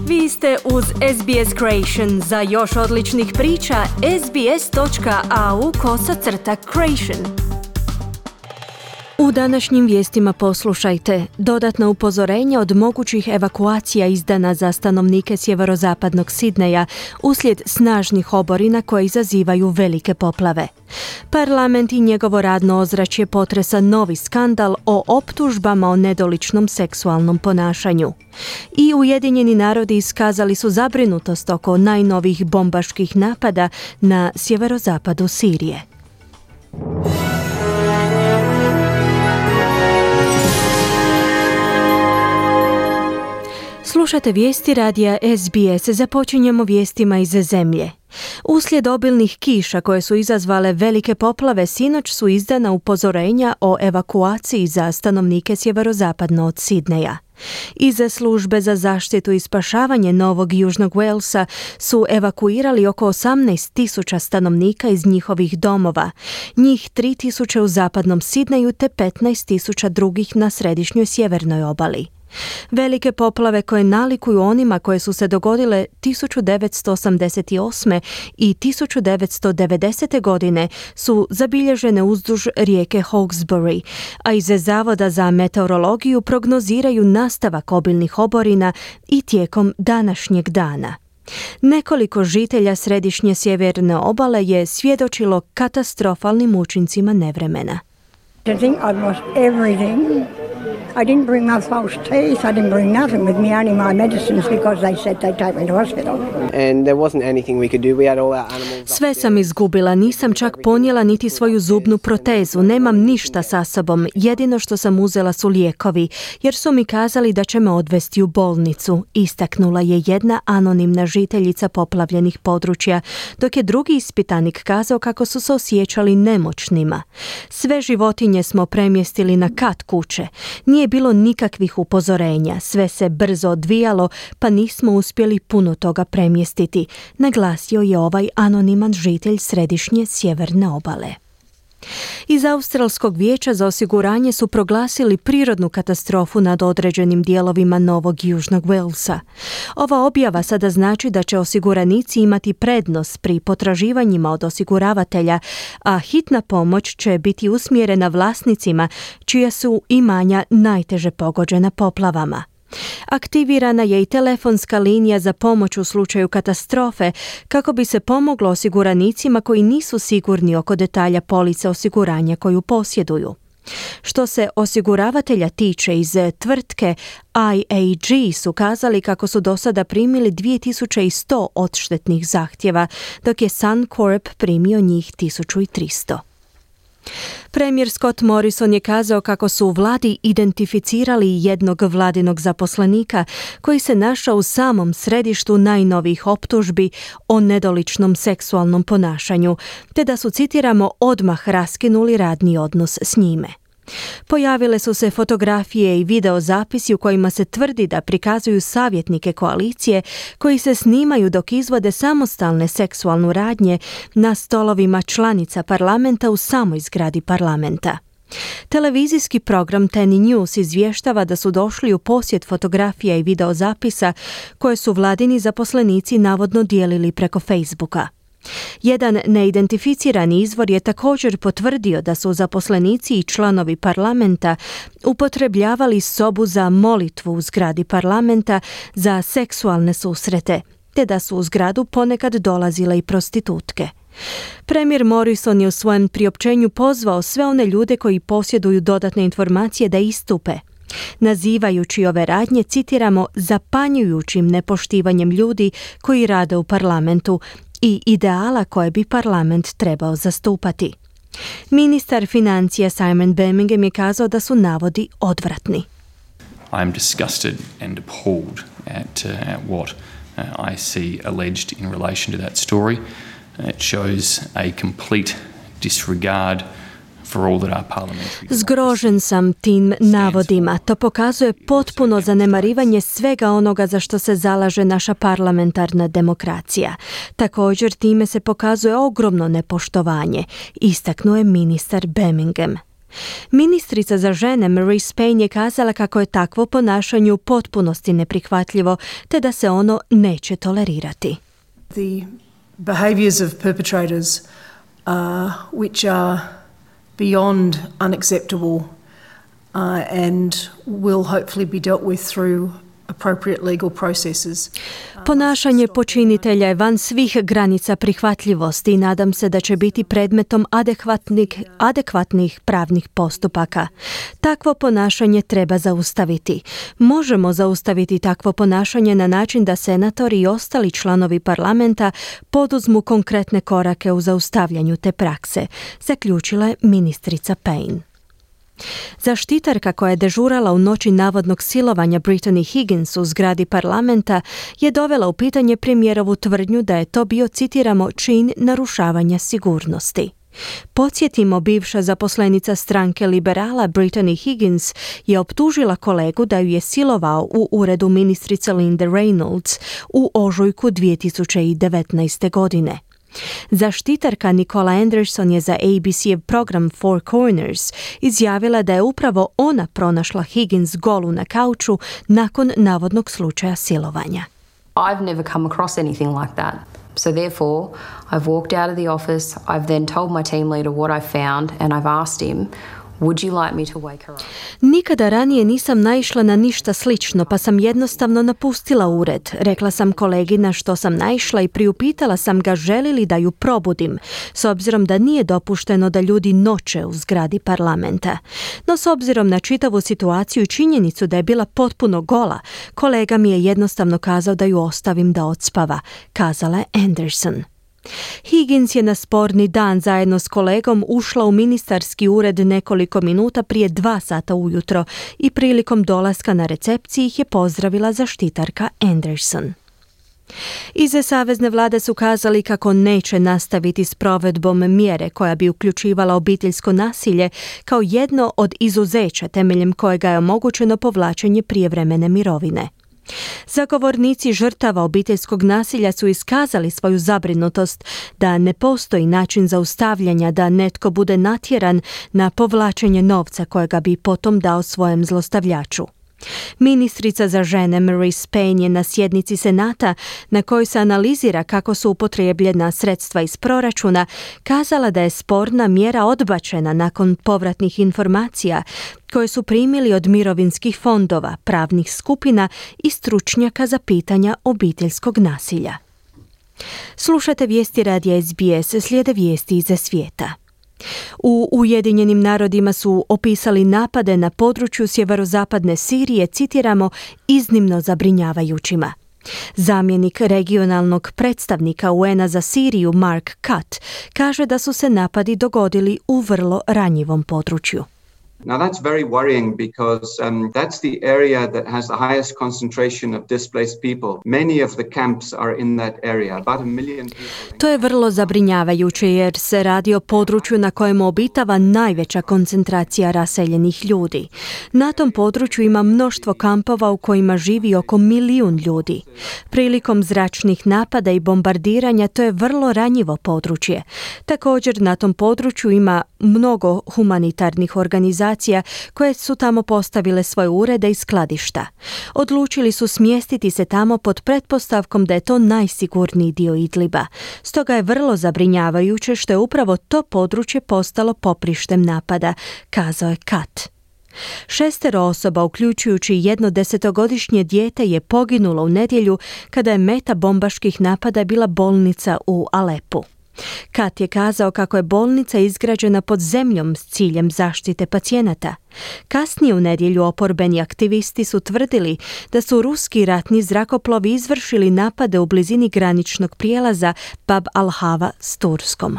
Vi ste uz SBS Creation. Za još odličnih priča, sbs.au/creation. U današnjim vijestima poslušajte dodatna upozorenja od mogućih evakuacija izdana za stanovnike sjeverozapadnog Sidneja uslijed snažnih oborina koje izazivaju velike poplave. Parlament i njegovo radno ozračje potresa novi skandal o optužbama o nedoličnom seksualnom ponašanju. I Ujedinjeni narodi iskazali su zabrinutost oko najnovijih bombaških napada na sjeverozapadu Sirije. Slušate vijesti radija SBS. Započinjemo vijestima iz zemlje. Uslijed obilnih kiša koje su izazvale velike poplave, sinoć su izdana upozorenja o evakuaciji za stanovnike sjeverozapadno od Sidneja. Iz službe za zaštitu i spašavanje Novog Južnog Walesa su evakuirali oko 18,000 stanovnika iz njihovih domova, njih 3,000 u zapadnom Sidneju te 15,000 drugih na središnjoj sjevernoj obali. Velike poplave koje nalikuju onima koje su se dogodile 1988. i 1990. godine su zabilježene uzduž rijeke Hawkesbury, a iz Zavoda za meteorologiju prognoziraju nastavak obilnih oborina i tijekom današnjeg dana. Nekoliko žitelja središnje sjeverne obale je svjedočilo katastrofalnim učincima nevremena. I think I've lost everything. I didn't bring my false teeth. I didn't bring nothing with me, only my medicines because they said they'd take me to hospital. And there wasn't anything we could do. We had all our animals. Sve sam izgubila, nisam čak ponijela niti svoju zubnu protezu, nemam ništa sa sobom, jedino što sam uzela su lijekovi, jer su mi kazali da će me odvesti u bolnicu, istaknula je jedna anonimna žiteljica poplavljenih područja, dok je drugi ispitanik kazao kako su se osjećali nemoćnima. Sve životinje smo premjestili na kat kuće. Nije bilo nikakvih upozorenja, sve se brzo odvijalo, pa nismo uspjeli puno toga premjestiti, naglasio je ovaj anoniman žitelj središnje sjeverne obale. Iz Australskog vijeća za osiguranje su proglasili prirodnu katastrofu nad određenim dijelovima Novog Južnog Walesa. Ova objava sada znači da će osiguranici imati prednost pri potraživanjima od osiguravatelja, a hitna pomoć će biti usmjerena vlasnicima čija su imanja najteže pogođena poplavama. Aktivirana je i telefonska linija za pomoć u slučaju katastrofe kako bi se pomoglo osiguranicima koji nisu sigurni oko detalja police osiguranja koju posjeduju. Što se osiguravatelja tiče, iz tvrtke IAG su kazali kako su do sada primili 2100 odštetnih zahtjeva, dok je Suncorp primio njih 1300. Premijer Scott Morrison je kazao kako su u vladi identificirali jednog vladinog zaposlenika koji se našao u samom središtu najnovijih optužbi o nedoličnom seksualnom ponašanju, te da su, citiramo, odmah raskinuli radni odnos s njime. Pojavile su se fotografije i videozapisi u kojima se tvrdi da prikazuju savjetnike koalicije koji se snimaju dok izvode samostalne seksualnu radnje na stolovima članica parlamenta u samoj zgradi parlamenta. Televizijski program Ten News izvještava da su došli u posjed fotografija i videozapisa koje su vladini zaposlenici navodno dijelili preko Facebooka. Jedan neidentificirani izvor je također potvrdio da su zaposlenici i članovi parlamenta upotrebljavali sobu za molitvu u zgradi parlamenta za seksualne susrete, te da su u zgradu ponekad dolazile i prostitutke. Premijer Morrison je u svojem priopćenju pozvao sve one ljude koji posjeduju dodatne informacije da istupe, nazivajući ove radnje, citiramo, zapanjujućim nepoštivanjem ljudi koji rade u parlamentu i ideala koje bi parlament trebao zastupati. Ministar financija Simon Birmingham je kazao da su navodi odvratni. I am disgusted and appalled at what I see alleged in relation to that story. It shows a complete disregard for all that our parliamentary... Zgrožen sam tim navodima. To pokazuje potpuno zanemarivanje svega onoga za što se zalaže naša parlamentarna demokracija. Također time se pokazuje ogromno nepoštovanje, istaknuo je ministar Birmingham. Ministrica za žene Marise Payne je kazala kako je takvo ponašanje u potpunosti neprihvatljivo, te da se ono neće tolerirati. The behaviours of perpetrators which are beyond unacceptable and will hopefully be dealt with through appropriate legal processes. Ponašanje počinitelja je van svih granica prihvatljivosti i nadam se da će biti predmetom adekvatnih pravnih postupaka. Takvo ponašanje treba zaustaviti. Možemo zaustaviti takvo ponašanje na način da senatori i ostali članovi parlamenta poduzmu konkretne korake u zaustavljanju te prakse, zaključila je ministrica Payne. Zaštitarka koja je dežurala u noći navodnog silovanja Brittany Higgins u zgradi parlamenta je dovela u pitanje premijerovu tvrdnju da je to bio, citiramo, čin narušavanja sigurnosti. Podsjetimo, bivša zaposlenica stranke liberala Brittany Higgins je optužila kolegu da ju je silovao u uredu ministrice Linde Reynolds u ožujku 2019. godine. Zaštitarka Nicola Anderson je za ABC-ev program Four Corners izjavila da je upravo ona pronašla Higgins golu na kauču nakon navodnog slučaja silovanja. I've never come across anything like that. So therefore, I've walked out of the office, I've then told my team leader what I found and I've asked him, would you like me to wake her up? Nikada ranije nisam naišla na ništa slično, pa sam jednostavno napustila ured. Rekla sam kolegi na što sam naišla i priupitala sam ga želi li da ju probudim, s obzirom da nije dopušteno da ljudi noće u zgradi parlamenta. No s obzirom na čitavu situaciju i činjenicu da je bila potpuno gola, kolega mi je jednostavno kazao da ju ostavim da odspava, kazala je Anderson. Higgins je na sporni dan zajedno s kolegom ušla u ministarski ured nekoliko minuta prije 2 sata ujutro i prilikom dolaska na recepciji ih je pozdravila zaštitarka Anderson. Iz savezne vlade su kazali kako neće nastaviti s provedbom mjere koja bi uključivala obiteljsko nasilje kao jedno od izuzeća temeljem kojega je omogućeno povlačenje prijevremene mirovine. Zagovornici žrtava obiteljskog nasilja su iskazali svoju zabrinutost da ne postoji način zaustavljanja da netko bude natjeran na povlačenje novca kojega bi potom dao svojem zlostavljaču. Ministrica za žene Marise Payne je na sjednici Senata na kojoj se analizira kako su upotrijebljena sredstva iz proračuna kazala da je sporna mjera odbačena nakon povratnih informacija koje su primili od mirovinskih fondova, pravnih skupina i stručnjaka za pitanja obiteljskog nasilja. Slušate vijesti radija SBS, slijede vijesti iz svijeta. U Ujedinjenim narodima su opisali napade na području sjeverozapadne Sirije, citiramo, iznimno zabrinjavajućima. Zamjenik regionalnog predstavnika UN-a za Siriju Mark Cutt kaže da su se napadi dogodili u vrlo ranjivom području. Now that's very worrying because that's the area that has the highest concentration of displaced people. Many of the camps are in that area. About 1 million people. To je vrlo zabrinjavajuće jer se radi o području na kojem obitava najveća koncentracija raseljenih ljudi. Na tom području ima mnoštvo kampova u kojima živi oko 1 milijun ljudi. Prilikom zračnih napada i bombardiranja to je vrlo ranjivo područje. Također na tom području ima mnogo humanitarnih organizacija koje su tamo postavile svoje urede i skladišta. Odlučili su smjestiti se tamo pod pretpostavkom da je to najsigurniji dio Idliba. Stoga je vrlo zabrinjavajuće što je upravo to područje postalo poprištem napada, kazao je Cutt. 6 osoba, uključujući 1 10-godišnje dijete, je poginulo u nedjelju kada je meta bombaških napada bila bolnica u Alepu. Kat je kazao kako je bolnica izgrađena pod zemljom s ciljem zaštite pacijenata. Kasnije u nedjelju oporbeni aktivisti su tvrdili da su ruski ratni zrakoplovi izvršili napade u blizini graničnog prijelaza Bab al-Hava s Turskom.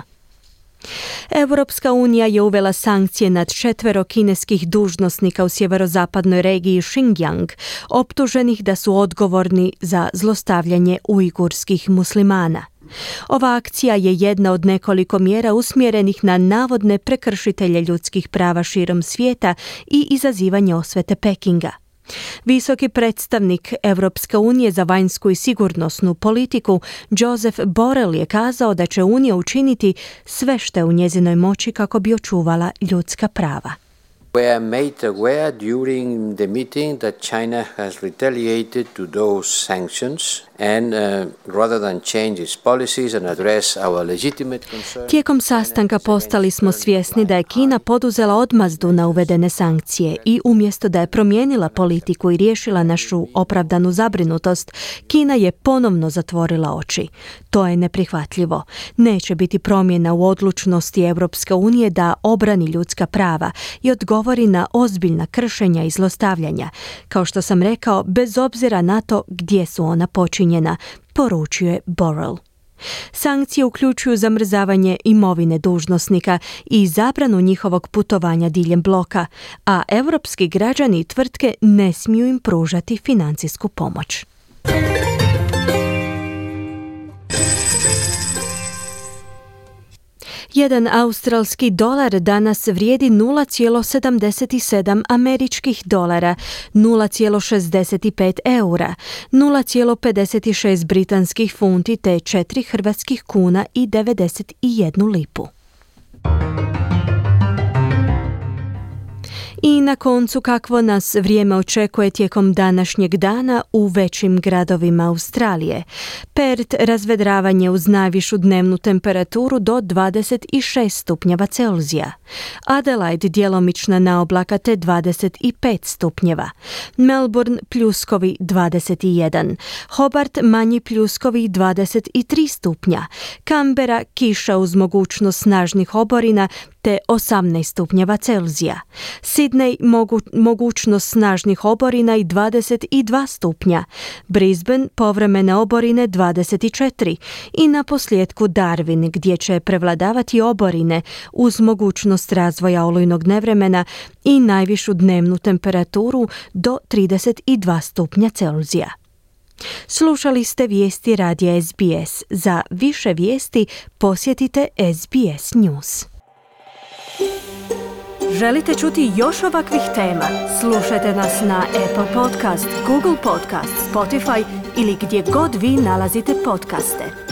Europska unija je uvela sankcije nad 4 kineskih dužnosnika u sjeverozapadnoj regiji Xinjiang, optuženih da su odgovorni za zlostavljanje ujgurskih muslimana. Ova akcija je jedna od nekoliko mjera usmjerenih na navodne prekršitelje ljudskih prava širom svijeta i izazivanje osvete Pekinga. Visoki predstavnik Europske unije za vanjsku i sigurnosnu politiku Joseph Borrell je kazao da će Unija učiniti sve što je u njezinoj moći kako bi očuvala ljudska prava. We are made aware during the meeting that China has retaliated to those sanctions and rather than change its policies and address our legitimate concerns. Tijekom sastanka postali smo svjesni da je Kina poduzela odmazdu na uvedene sankcije i umjesto da je promijenila politiku i riješila našu opravdanu zabrinutost, Kina je ponovno zatvorila oči. To je neprihvatljivo. Neće biti promjena u odlučnosti Europske unije da obrani ljudska prava i odgovori na ozbiljna kršenja i zlostavljanja, kao što sam rekao, bez obzira na to gdje su ona počinjena, poručio je Borrell. Sankcije uključuju zamrzavanje imovine dužnosnika i zabranu njihovog putovanja diljem bloka, a europski građani i tvrtke ne smiju im pružati financijsku pomoć. Jedan australski dolar danas vrijedi 0,77 američkih dolara, 0,65 eura, 0,56 britanskih funti te 4 hrvatskih kuna i 91 lipu. I na koncu kakvo nas vrijeme očekuje tijekom današnjeg dana u većim gradovima Australije. Perth razvedravanje uz najvišu dnevnu temperaturu do 26 stupnjeva Celzija. Adelaide djelomična naoblaka te 25 stupnjeva. Melbourne pljuskovi 21. Hobart manji pljuskovi 23 stupnja. Canberra kiša uz mogućnost snažnih oborina te 18 stupnjeva Celzija. Sydney mogućnost snažnih oborina i 22 stupnja. Brisbane povremene oborine 24 i na posljedku Darwin gdje će prevladavati oborine uz mogućnost razvoja olujnog nevremena i najvišu dnevnu temperaturu do 32 stupnja Celzija. Slušali ste vijesti radija SBS. Za više vijesti posjetite SBS News. Želite čuti još ovakvih tema? Slušajte nas na Apple Podcast, Google Podcast, Spotify ili gdje god vi nalazite podcaste.